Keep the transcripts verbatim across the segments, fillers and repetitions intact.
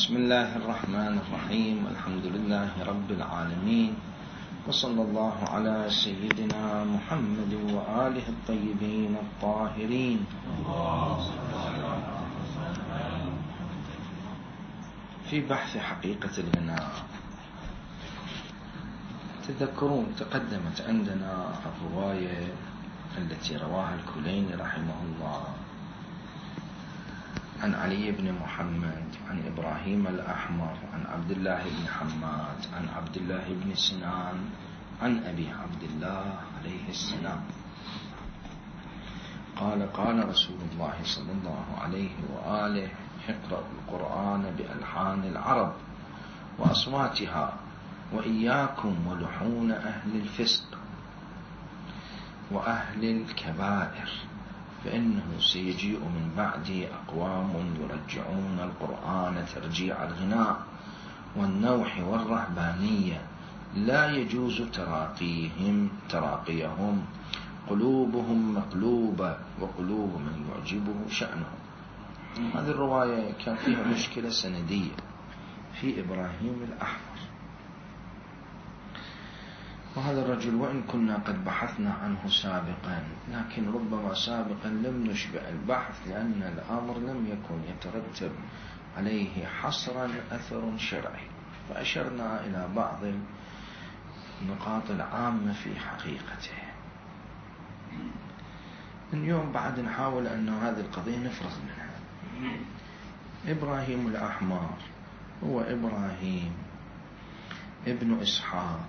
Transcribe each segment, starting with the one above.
بسم الله الرحمن الرحيم. الحمد لله رب العالمين، وصلى الله على سيدنا محمد وآله الطيبين الطاهرين. في بحث حقيقة الغناء، تذكرون تقدمت عندنا الرواية التي رواها الكليني رحمه الله عن علي بن محمد عن إبراهيم الأحمر عن عبد الله بن حماد عن عبد الله بن سنان عن أبي عبد الله عليه السلام قال: قال رسول الله صلى الله عليه وآله: اقرأوا القرآن بألحان العرب وأصواتها، وإياكم ولحون أهل الفسق وأهل الكبائر، فإنه سيجيء من بعدي أقوام يرجعون القرآن ترجيع الغناء والنوح والرهبانية، لا يجوز تراقيهم تراقيهم قلوبهم مقلوبة وقلوب من يعجبه شأنه. هذه الرواية كان فيها مشكلة سندية في إبراهيم الأحمر، وهذا الرجل وإن كنا قد بحثنا عنه سابقا، لكن ربما سابقا لم نشبع البحث لأن الأمر لم يكن يترتب عليه حصرا أثر شرعي، فأشرنا إلى بعض النقاط العامة في حقيقته. اليوم بعد نحاول أن هذه القضية نفرغ منها. إبراهيم الأحمر هو إبراهيم ابن إسحاق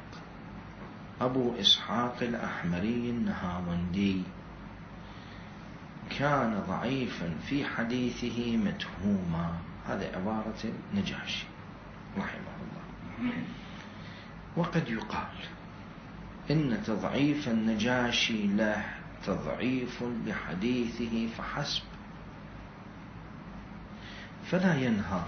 أبو إسحاق الأحمري النهاوندي، كان ضعيفا في حديثه متهوما. هذه عبارة النجاشي رحمه الله. وقد يقال إن تضعيف النجاشي له تضعيف لحديثه فحسب، فلا ينهار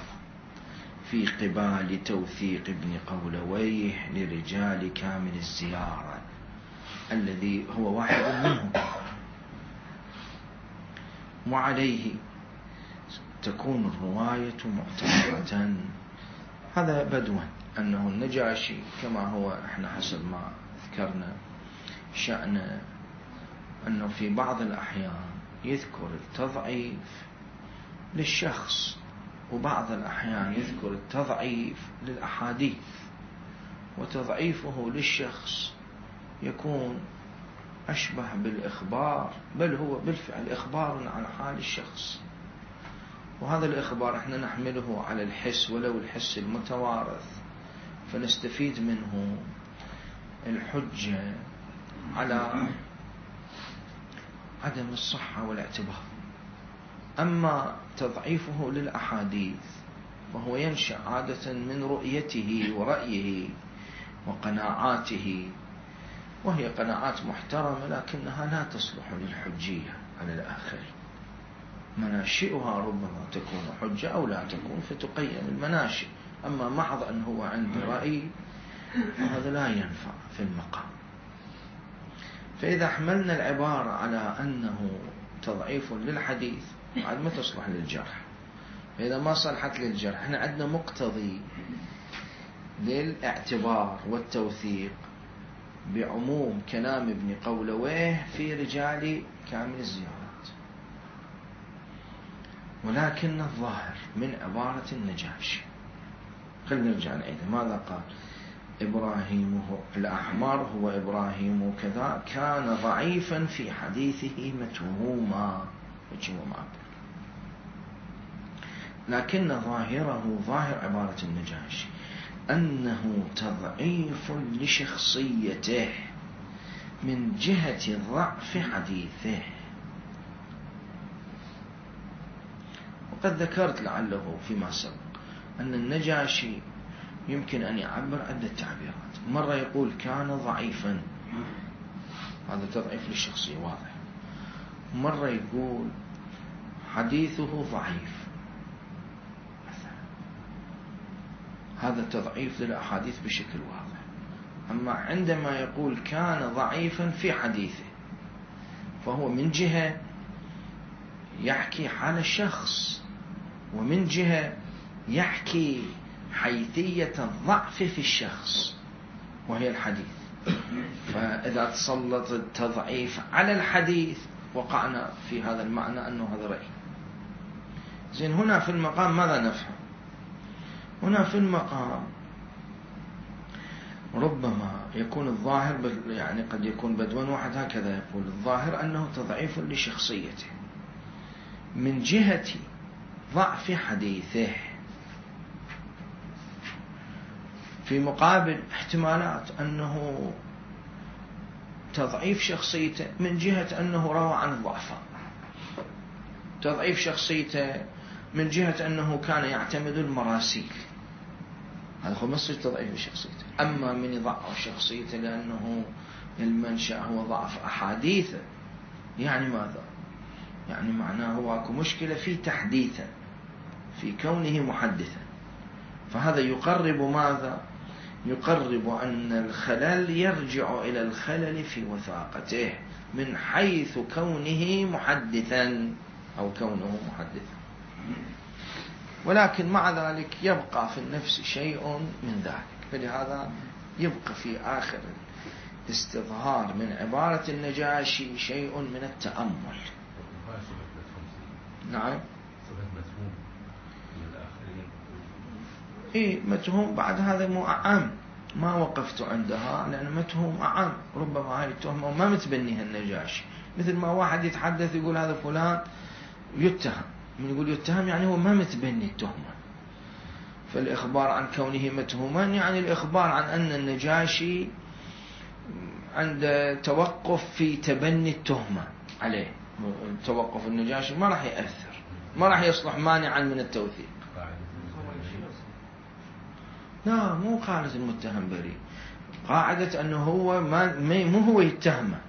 في قبال توثيق ابن قولويه لرجال كامل الزيارة الذي هو واحد منهم، وعليه تكون الرواية معتبرة. هذا بدوا أنه النجاشي كما هو احنا حسب ما ذكرنا شأنه أنه في بعض الأحيان يذكر التضعيف للشخص، وبعض الأحيان يذكر التضعيف للأحاديث، وتضعيفه للشخص يكون أشبه بالإخبار، بل هو بالفعل إخبار عن حال الشخص. وهذا الإخبار احنا نحمله على الحس ولو الحس المتوارث، فنستفيد منه الحجة على عدم الصحة والاعتبار. أما تضعيفه للأحاديث فهو ينشأ عادة من رؤيته ورأيه وقناعاته، وهي قناعات محترمة لكنها لا تصلح للحجية على الآخرين. مناشئها ربما تكون حجة أو لا تكون، فتقيم المناشئ. أما محض أن هو عنده رأي فهذا لا ينفع في المقام. فإذا حملنا العبارة على أنه تضعيف للحديث عاد ما تصلح للجرح، فإذا ما صلحت للجرح احنا عندنا مقتضي للاعتبار والتوثيق بعموم كلام ابن قولويه في رجال كامل الزيارات. ولكن الظاهر من عبارة النجاشي، خلينا نرجع نعيد ماذا قال: إبراهيم الأحمر هو إبراهيم كذا، كان ضعيفا في حديثه متهوما، لكن ظاهره ظاهر عبارة النجاشي أنه تضعيف لشخصيته من جهة ضعف حديثه. وقد ذكرت لعله فيما سبق أن النجاشي يمكن أن يعبر عدة تعبيرات. مرة يقول كان ضعيفا، هذا تضعيف للشخصية واضح. مرة يقول حديثه ضعيف، هذا تضعيف للأحاديث بشكل واضح. أما عندما يقول كان ضعيفا في حديثه فهو من جهة يحكي حال الشخص، ومن جهة يحكي حيثية الضعف في الشخص وهي الحديث، فإذا تسلط التضعيف على الحديث وقعنا في هذا المعنى أنه هذا رأي. زين، هنا في المقام ماذا نفهم؟ هنا في المقام ربما يكون الظاهر، يعني قد يكون بدون واحد هكذا يقول الظاهر أنه تضعيف لشخصيته من جهة ضعف حديثه، في مقابل احتمالات أنه تضعيف شخصيته من جهة أنه روى عن الضعفاء، تضعيف شخصيته من جهة أنه كان يعتمد المراسيل، هذا هو مصدر تضعيف شخصيته. أما من يضعف شخصيته لأنه المنشأ هو ضعف أحاديثه، يعني ماذا؟ يعني معناه هو أكو مشكلة في تحديثه، في كونه محدثا، فهذا يقرب ماذا؟ يقرب أن الخلل يرجع إلى الخلل في وثاقته من حيث كونه محدثا أو كونه محدثا. ولكن مع ذلك يبقى في النفس شيء من ذلك، فلهذا يبقى في آخر استظهار من عبارة النجاشي شيء من التأمل. نعم، إيه متهم بعد هذا مو أعم، ما وقفت عندها لأن متهم أعم، ربما هاي التهمة وما متبنيها النجاشي، مثل ما واحد يتحدث يقول هذا فلان يتهم، من يقول يتهم يعني هو ما متبني التهمة، فالإخبار عن كونه متهما يعني الإخبار عن أن النجاشي عند توقف في تبني التهمة عليه، توقف النجاشي ما راح يأثر، ما راح يصلح مانعا من التوثيق. لا، مو قاعدة المتهم بريء، قاعدة أنه هو ما مو هو يتهمه،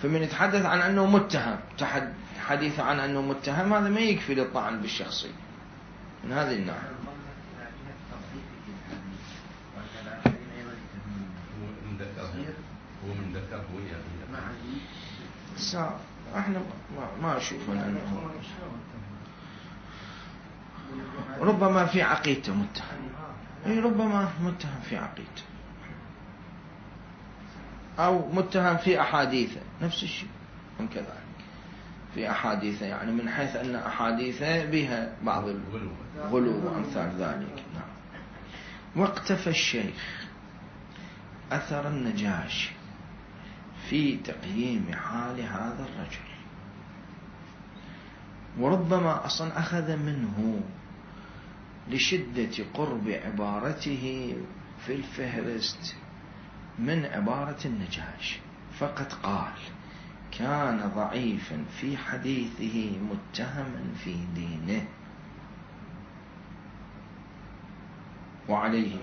فمن يتحدث عن أنه متهم، حديث عن أنه متهم هذا ما يكفي للطعن بالشخصية من هذه الناحية. احنا ما اشوف انه ربما في عقيدته متهم، اي ربما متهم في عقيدته او متهم في احاديثه، نفس الشيء هم كذلك في احاديثه، يعني من حيث ان احاديثه بها بعض الغلو وامثال ذلك. نعم. واقتفى الشيخ اثر النجاشي في تقييم حال هذا الرجل، وربما أصلا أخذ منه لشدة قرب عبارته في الفهرست من عبارة النجاشي، فقد قال كان ضعيفا في حديثه متهما في دينه وعليه،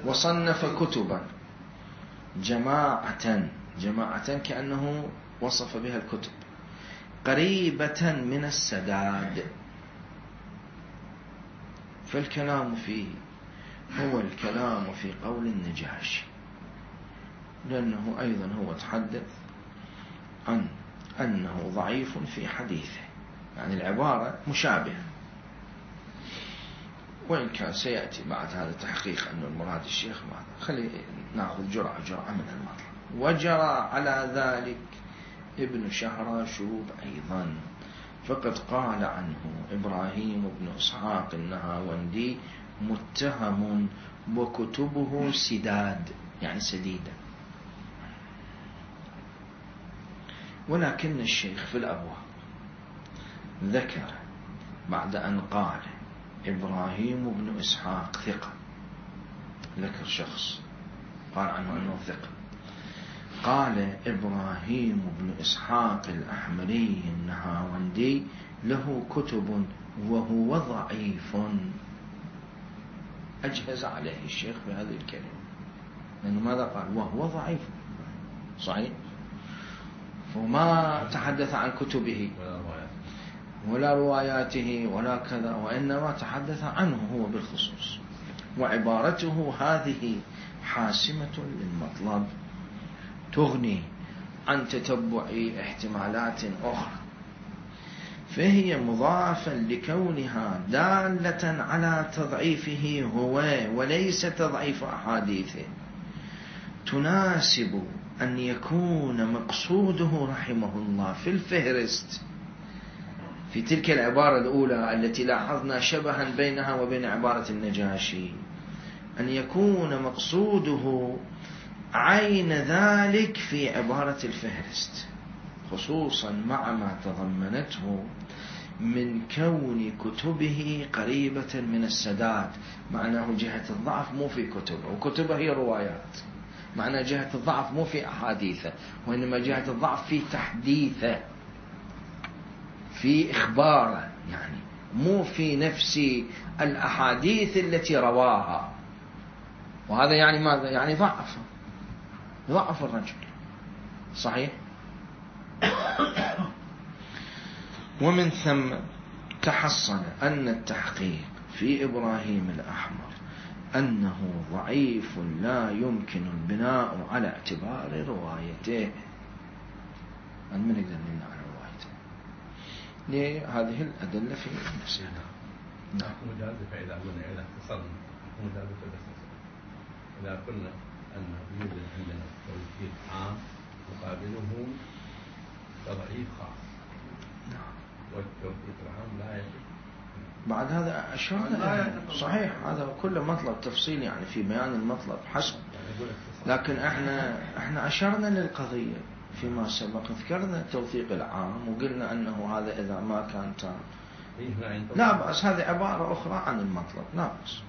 وصنف كتبا جماعة جماعة كأنه وصف بها الكتب قريبة من السداد، فالكلام فيه هو الكلام في قول النجاشي، لأنه أيضا هو تحدث عن أنه ضعيف في حديثه، يعني العبارة مشابهة، وإن كان سيأتي بعد هذا تحقيق أن المراد الشيخ ماذا. خلي نأخذ جرعة جرعة من المطلب. وجرى على ذلك ابن شهراشوب أيضا، فقد قال عنه إبراهيم بن إسحاق النهاوندي متهم وكتبه سداد، يعني سديدة. ولكن الشيخ في الأبواب ذكر بعد أن قال إبراهيم بن إسحاق ثقة، ذكر شخص قال عنه أنه ثقة، قال إبراهيم بن إسحاق الأحمري النهاوندي له كتب وهو ضعيف. أجهز عليه الشيخ بهذه الكلمة، لأنه ماذا قال؟ وهو ضعيف، صحيح، وما تحدث عن كتبه ولا رواياته ولا كذا، وإنما تحدث عنه هو بالخصوص، وعبارته هذه حاسمة للمطلب تغني عن تتبع احتمالات أخرى. فهي مضافا لكونها دالة على تضعيفه هو وليس تضعيف أحاديثه، تناسب أن يكون مقصوده رحمه الله في الفهرست في تلك العبارة الأولى التي لاحظنا شبها بينها وبين عبارة النجاشي، أن يكون مقصوده عين ذلك في عبارة الفهرست، خصوصا مع ما تضمنته من كون كتبه قريبة من السداد. معناه جهة الضعف مو في كتبه، وكتبه هي روايات، معنى جهة الضعف مو في أحاديثه، وإنما جهة الضعف في تحديثه، في إخباره، يعني مو في نفس الأحاديث التي رواها. وهذا يعني ماذا؟ يعني ضعف ضعف الرجل، صحيح. ومن ثم تحصل أن التحقيق في إبراهيم الأحمر أنه ضعيف لا يمكن البناء على اعتبار روايته. أن من يقدر نمنع على روايته لهذه الأدلة في نفسها. نعم. مجازفة إذا قلنا إذا اختصرنا مجازفة بس إذا قلنا أن يوجد عندنا توثيق عام مقابله تضعيف خاص. نعم. والتوثيق العام لا يجب. بعد هذا أشرنا صحيح، هذا كله مطلب تفصيل يعني في بيان المطلب حسب، لكن احنا احنا أشرنا للقضية فيما سبق، ذكرنا التوثيق العام وقلنا أنه هذا إذا ما كان تام لا بأس، هذه عبارة أخرى عن المطلب لا بأس.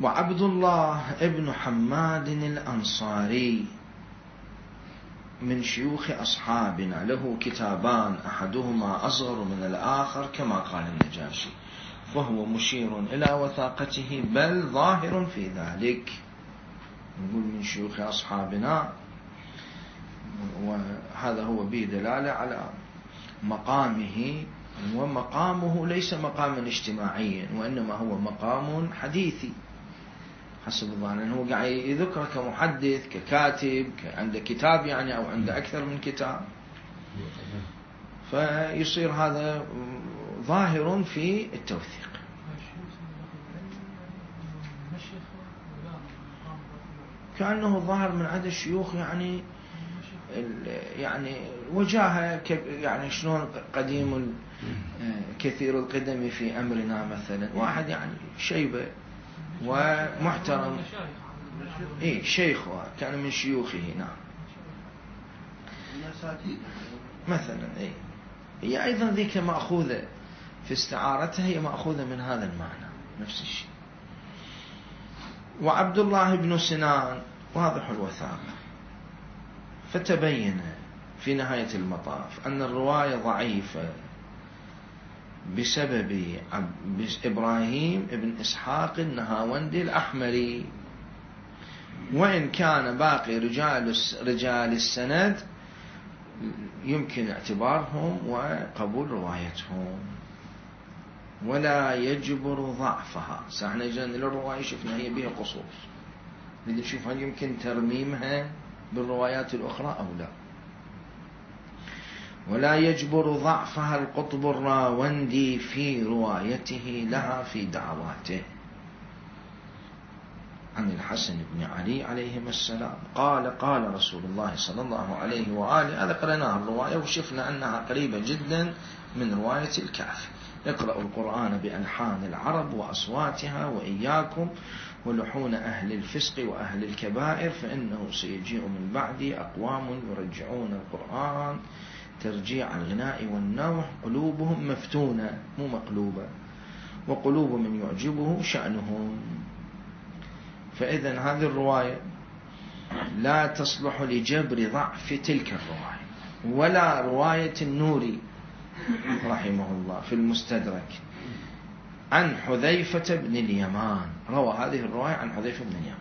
وعبد الله ابن حماد الأنصاري من شيوخ أصحابنا له كتابان أحدهما أصغر من الآخر كما قال النجاشي، فهو مشير إلى وثاقته بل ظاهر في ذلك. نقول من شيوخ أصحابنا، وهذا هو به دلالة على مقامه، ومقامه ليس مقاما اجتماعيا وإنما هو مقام حديثي حسب الظاهر، لأنه هو قاعد يذكر كمحدث ككاتب عنده كتاب يعني أو عنده أكثر من كتاب، فيصير هذا ظاهر في التوثيق. كأنه ظاهر من عدد الشيوخ يعني يعني وجاهه يعني شلون قديم كثير القدم في أمرنا مثلا، واحد يعني شيبة ومحترم إيه شيخ كان من شيوخه نعم مثلا إيه، هي أيضا ذيك مأخوذة في استعارتها، هي مأخوذة من هذا المعنى نفس الشيء. وعبد الله بن سنان واضح الوثاقة، فتبين في نهاية المطاف أن الرواية ضعيفة بسبب إبراهيم بن إسحاق النهاوندي الأحمري، وإن كان باقي رجال رجال السند يمكن اعتبارهم وقبول روايتهم ولا يجبر ضعفها. ساحنا جاءنا للرواية شفنا هي بها قصور، نريد نشوف هل يمكن ترميمها بالروايات الأخرى أو لا. ولا يجبر ضعفها القطب الراوندي في روايته لها في دعواته عن الحسن بن علي عليهما السلام قال قال رسول الله صلى الله عليه وآله. هذا قرأناها الرواية وشفنا أنها قريبة جدا من رواية الكافي. اقرأوا القرآن بألحان العرب وأصواتها وإياكم ولحون أهل الفسق وأهل الكبائر فإنه سيجيء من بعدي أقوام يرجعون القرآن ترجيع الغناء والنوح قلوبهم مفتونة مو مقلوبة وقلوب من يعجبه شأنهم. فإذن هذه الرواية لا تصلح لجبر ضعف تلك الرواية، ولا رواية النوري رحمه الله في المستدرك عن حذيفة بن اليمان، روى هذه الرواية عن حذيفة بن اليمان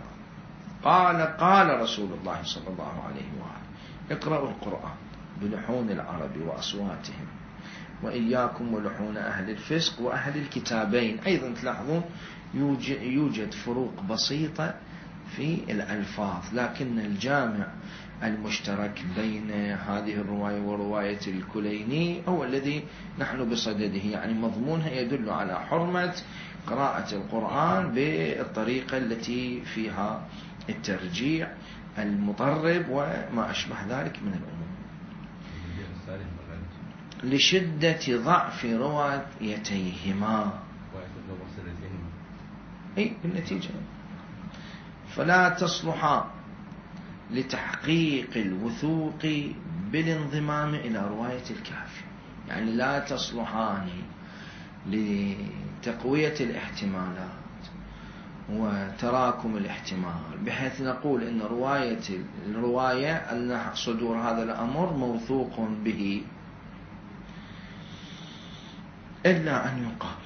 قال قال رسول الله صلى الله عليه وآله اقرأوا القرآن بلحون العرب وأصواتهم وإياكم ولحون أهل الفسق وأهل الكتابين. أيضا تلاحظون يوجد فروق بسيطة في الألفاظ، لكن الجامع المشترك بين هذه الرواية ورواية الكليني هو الذي نحن بصدده، يعني مضمونها يدل على حرمة قراءة القرآن بالطريقة التي فيها الترجيع المطرب وما أشبه ذلك من الأمور، لشدة ضعف روايتيهما. أي بالنتيجة فلا تصلحان لتحقيق الوثوق بالانضمام إلى رواية الكافي، يعني لا تصلحان لتقوية الاحتمالات وتراكم الاحتمال بحيث نقول إن رواية الرواية أن صدور هذا الأمر موثوق به، إلا أن يقال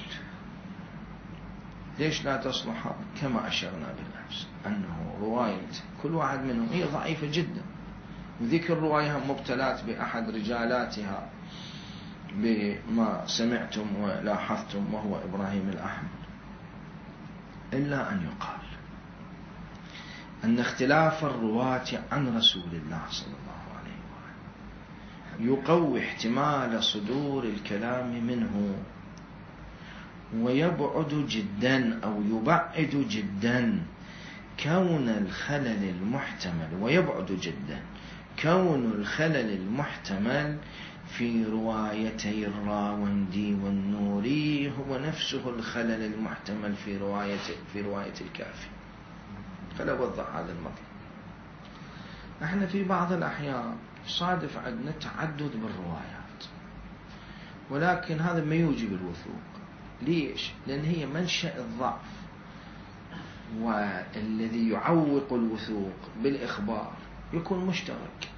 ليش لا تصلح؟ كما أشرنا بالأمس أنه رواية كل واحد منهم هي ضعيفة جدا، وذيك الرواية مبتلات بأحد رجالاتها بما سمعتم ولاحظتم وهو إبراهيم الأحمر. إلا أن يقال أن اختلاف الرواة عن رسول الله صلى الله عليه وآله يقوي احتمال صدور الكلام منه، ويبعد جدا أو يبعد جدا كون الخلل المحتمل ويبعد جدا كون الخلل المحتمل في روايتي الراوندي والنوري هو نفسه الخلل المحتمل في رواية في رواية الكافي. خلينا نوضح هذا المطلب. نحن في بعض الأحيان صادف عندنا تعدد بالروايات، ولكن هذا ما يوجب الوثوق. ليش؟ لأن هي منشأ الضعف، والذي يعوق الوثوق بالإخبار يكون مشترك.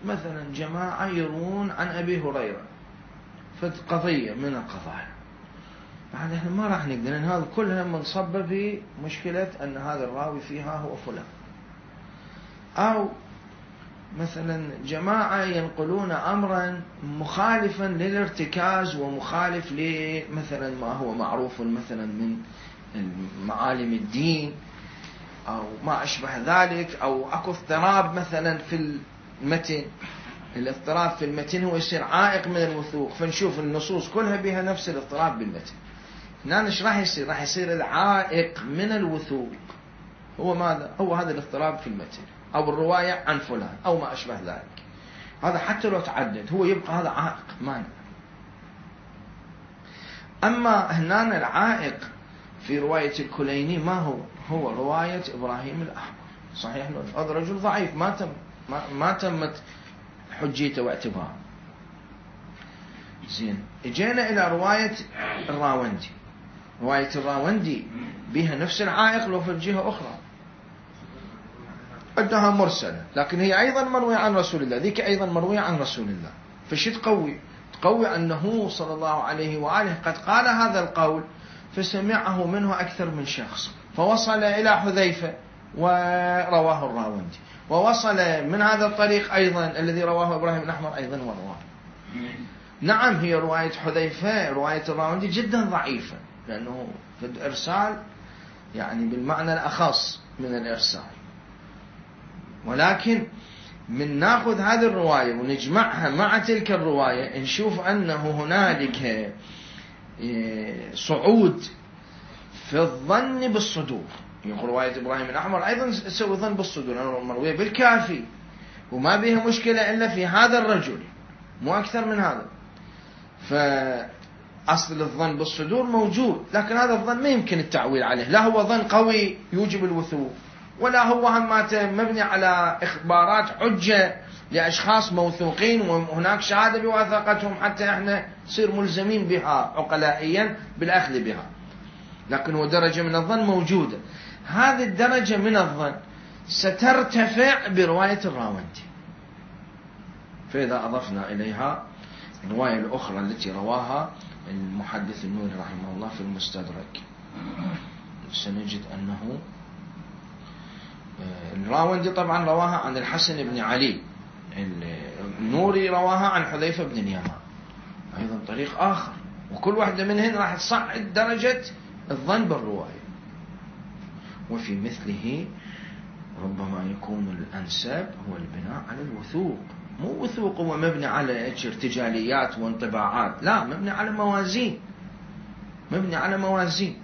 مثلا جماعة يروون عن أبي هريرة في قضية من القضايا، يعني احنا ما راح نقدر، لأن هذا كلها منصب في مشكلة أن هذا الراوي فيها هو فلان. أو مثلا جماعة ينقلون أمرا مخالفا للارتكاز ومخالف لمثلا ما هو معروف مثلا من معالم الدين أو ما أشبه ذلك، أو أكو اضطراب مثلا في المتن. الاضطراب في المتن هو يصير عائق من الوثوق، فنشوف النصوص كلها بها نفس الاضطراب بالمتن. هنا ايش راح يصير؟ راح يصير العائق من الوثوق هو ماذا؟ هو هذا الاضطراب في المتن أو الرواية عن فلان أو ما أشبه ذلك. هذا حتى لو تعدد هو يبقى هذا عائق مانع. أما هنا العائق في رواية الكليني ما هو؟ هو رواية إبراهيم الأحمر. صحيح هذا رجل ضعيف ما تم ما, ما تمت حجيته واعتباره. زين، اجينا إلى رواية الراوندي. رواية الراوندي بها نفس العائق لو في الجهة أخرى، أنها مرسلة لكن هي أيضا مروية عن رسول الله، ذيك أيضا مروية عن رسول الله. فشي تقوي؟ تقوي أنه صلى الله عليه وآله قد قال هذا القول فسمعه منه أكثر من شخص، فوصل إلى حذيفة ورواه الراوندي، ووصل من هذا الطريق أيضا الذي رواه إبراهيم الأحمر أيضا ورواه. نعم هي رواية حذيفة رواية الراوندي جدا ضعيفة، لأنه في الإرسال يعني بالمعنى الأخص من الإرسال، ولكن من ناخذ هذه الرواية ونجمعها مع تلك الرواية نشوف أنه هنالك صعود في الظن بالصدور. يقول رواية إبراهيم الأحمر أيضا سوى ظن بالصدور، أنه مروية بالكافي وما بها مشكلة إلا في هذا الرجل مو أكثر من هذا. فأصل الظن بالصدور موجود، لكن هذا الظن ما يمكن التعويل عليه، لا هو ظن قوي يوجب الوثوق، ولا هو هماته مبني على إخبارات حجة لأشخاص موثوقين وهناك شهادة بوثاقتهم حتى احنا نصير ملزمين بها عقلائيا بالأخذ بها. لكن هو درجة من الظن موجودة. هذه الدرجة من الظن سترتفع برواية الراوندي. فإذا أضفنا إليها الرواية الأخرى التي رواها المحدث النوري رحمه الله في المستدرك، سنجد أنه الراوندي طبعا رواها عن الحسن بن علي، النوري رواها عن حذيفة بن اليمان، أيضا طريق آخر، وكل واحدة منهن راح تصعد درجة الظن بالرواية. وفي مثله ربما يكون الأنسب هو البناء على الوثوق، مو وثوق هو مبني على ارتجاليات وانطباعات، لا، مبني على موازين، مبني على موازين.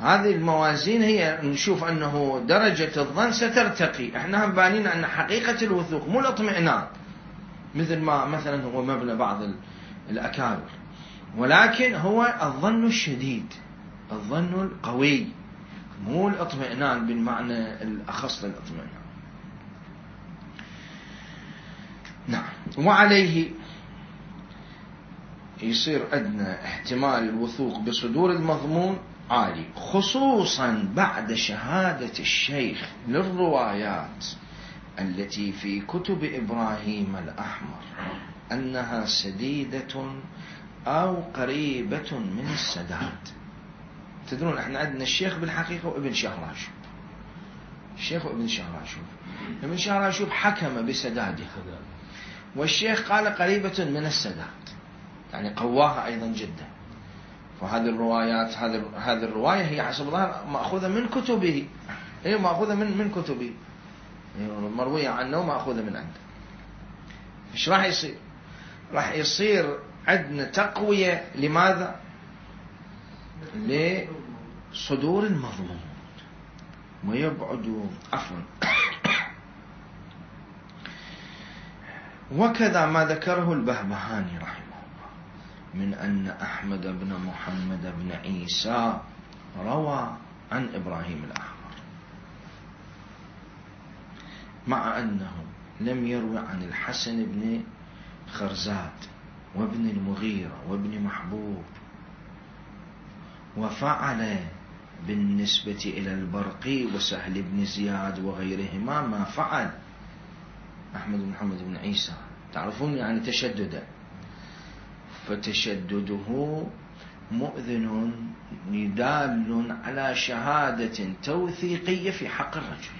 هذه الموازين هي نشوف أنه درجة الظن سترتقي. احنا هم بانين أن حقيقة الوثوق مو الاطمئنان مثل ما مثلا هو مبنى بعض الأكابر، ولكن هو الظن الشديد، الظن القوي، مو الاطمئنان بالمعنى الأخص للاطمئنان. نعم. وعليه يصير أدنى احتمال الوثوق بصدور المضمون عالي، خصوصا بعد شهادة الشيخ للروايات التي في كتب إبراهيم الأحمر أنها سديدة أو قريبة من السداد. تدرون احنا عندنا الشيخ بالحقيقة وابن شهراشوب، الشيخ وابن شهراشوب. ابن شهراشوب حكم بسدادها، والشيخ قال قريبة من السداد، يعني قواها أيضا جدا. فهذه الروايات، هذه هذه الرواية هي حسب الظاهر مأخوذة من كتبه، هي مأخوذة من من كتبه، مروية عنه ومأخوذة من عنده. إيش راح يصير؟ راح يصير عندنا تقوية لماذا؟ لصدور المضمون، ويبعد عفوا. وكذا ما ذكره البهبهاني رحمه الله من أن أحمد بن محمد بن عيسى روى عن إبراهيم الأحمر، مع أنه لم يروي عن الحسن بن خرزاد وابن المغيرة وابن محبوب، وفعل بالنسبة إلى البرقي وسهل بن زياد وغيرهما ما فعل أحمد بن محمد بن عيسى. تعرفون يعني تشدد، فتشدده مؤذن يدال على شهادة توثيقية في حق الرجل.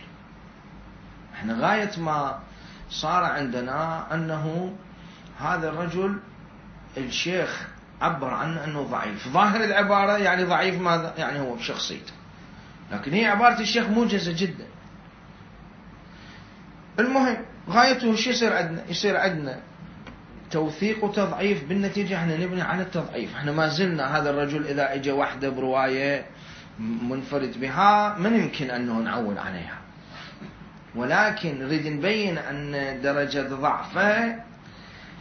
احنا غاية ما صار عندنا أنه هذا الرجل الشيخ عبر عنه أنه ضعيف، ظاهر العبارة يعني ضعيف ماذا؟ يعني هو بشخصيته، لكن هي عبارة الشيخ موجزة جدا. المهم غايته شو يصير عندنا؟ يصير عندنا توثيق وتضعيف، بالنتيجة احنا نبني على التضعيف. احنا ما زلنا هذا الرجل إذا اجى وحده برواية منفرد بها من يمكن أنه نعول عليها، ولكن نريد نبين أن درجة ضعفه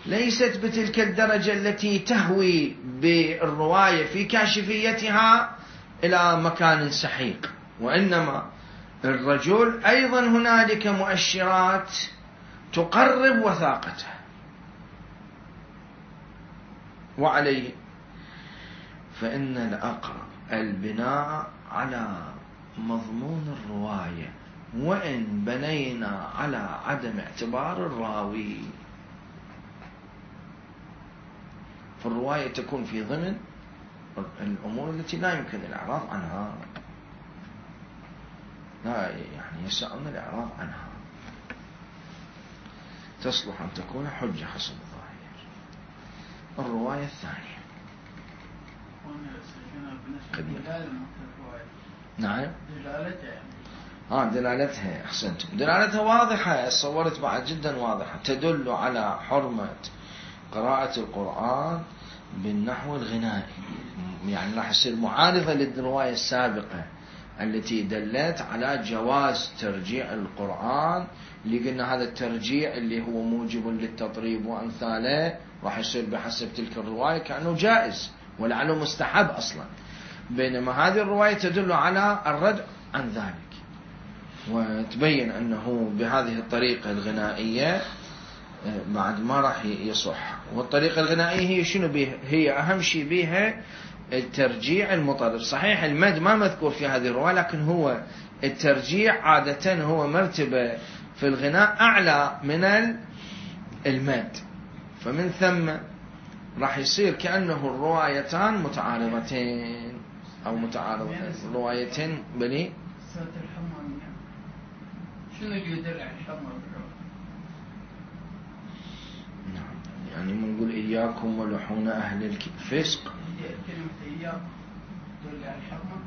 ليست بتلك الدرجة التي تهوي بالرواية في كاشفيتها إلى مكان سحيق، وإنما الرجل أيضا هنالك مؤشرات تقرب وثاقته. وعليه فإن الأقرب البناء على مضمون الرواية، وإن بنينا على عدم اعتبار الراوي، فالرواية تكون في ضمن الأمور التي لا يمكن الإعراض عنها، لا يعني يسعنا الإعراض عنها، تصلح أن تكون حجة حسب الظاهر. الرواية الثانية نعم آه دلالتها أحسنتم، دلالتها واضحة، صورت بعد جدا واضحة، تدل على حرمة قراءة القرآن بالنحو الغنائي، يعني راح يصير معارضة للرواية السابقة التي دلت على جواز ترجيع القرآن، اللي قلنا هذا الترجيع اللي هو موجب للتطريب وأمثاله راح يصير بحسب تلك الرواية كأنه جائز ولعله مستحب أصلا، بينما هذه الرواية تدل على الردع عن ذلك، وتبين أنه بهذه الطريقة الغنائية بعد ما راح يصح. والطريقة الغنائية هي شنو بيها؟ هي أهم شيء بيها الترجيع المطرب. صحيح المد ما مذكور في هذه الرواية، لكن هو الترجيع عادة هو مرتبة في الغناء أعلى من المد، فمن ثم راح يصير كأنه الروايتان متعارضتين أو متعارضتين روايتين بني شنو يدل على الحمر؟ نعم، يعني بنقول إياكم ولحون أهل الفسق. كلمة إياكم تدل على الحمر،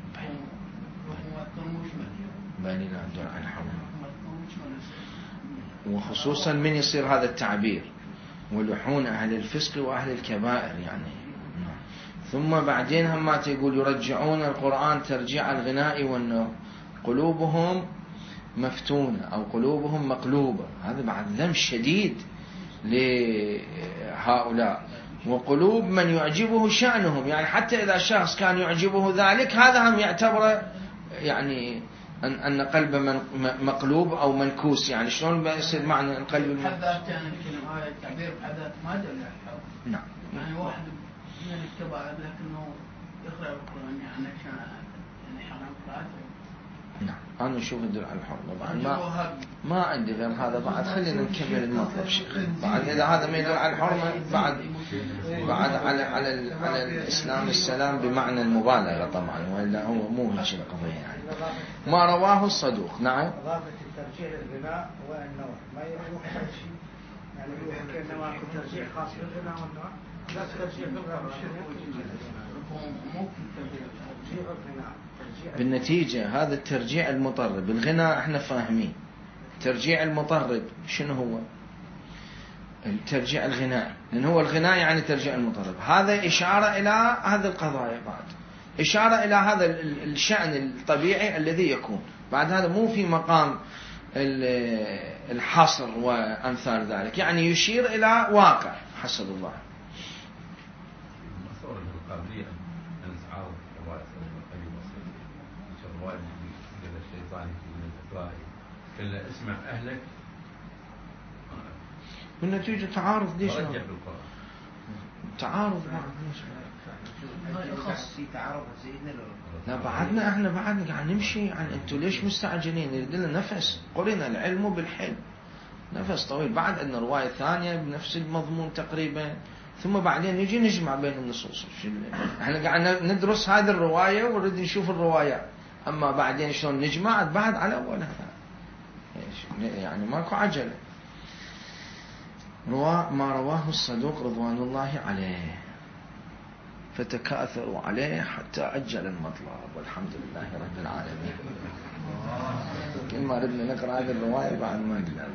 وهو الطرموش مدير. بني لا تدل على الحمر. وخصوصا من يصير هذا التعبير ولحون أهل الفسق وأهل الكبائر يعني. ثم بعدين هم تقول يرجعون القرآن ترجيع الغناء والنوم، قلوبهم مفتونة أو قلوبهم مقلوبة، هذا بعد ذم شديد لهؤلاء. وقلوب من يعجبه شأنهم، يعني حتى إذا شخص كان يعجبه ذلك هذا هم يعتبره يعني أن أن قلب من مقلوب أو منكوس. يعني شلون بيصير معنى القلب المنكوس؟ حذات يعني الكلمة هاي التعبير بحذات ما دل على الحرام. نعم. يعني واحد من الكبائر لكنه يقرأ القرآن يعني كان يعني حرام قراءته. نعم أنا أشوف يدل على الحرمة. بعد ما ما عندي غير هذا. بعد خلينا نكمل المطلب شيخ. بعد إذا هذا ما يدل على الحرمة بعد بعد على على على الإسلام السلام بمعنى المبالغة طبعا، وإلا هو مو هيك القضية يعني. ما رواه الصدوق. نعم. إضافة الترجيع للغناء والنوع ما يروح شيء يعني يمكن أنه ترجيع خاص بالغناء والنوع، لا ترجيع بالغناء مو ترجيع الغناء. بالنتيجة هذا الترجيع المطرب، الغناء احنا فاهمين، ترجيع المطرب شنو هو؟ الترجيع الغنائي، لأن هو الغناء يعني ترجيع المطرب. هذا إشارة إلى هذه القضايا، بعد إشارة إلى هذا الشأن الطبيعي الذي يكون. بعد هذا مو في مقام الحصر وأمثال ذلك، يعني يشير إلى واقع حسب الله. كلا اسمع أهلك بالنتيجة تعارض. ليش تعارض؟ لا بعدنا احنا بعدنا قاعد نمشي يعني. انتوا ليش مستعجلين؟ يريد لنا نفس. قلنا العلم بالحلم، نفس طويل. بعد عندنا رواية ثانية بنفس المضمون تقريبا، ثم بعدين نجي نجمع بين النصوص. احنا قاعد ندرس هذه الرواية ونريد نشوف الروايات، اما بعدين شلون نجمع بعد على اولها يعني ماكو عجلة. روا ما رواه الصدوق رضوان الله عليه، فتكاثروا عليه حتى أجل المطلب، والحمد لله رب العالمين. كل ما ردنا نقرأ هذه الرواية بعد ما قلنا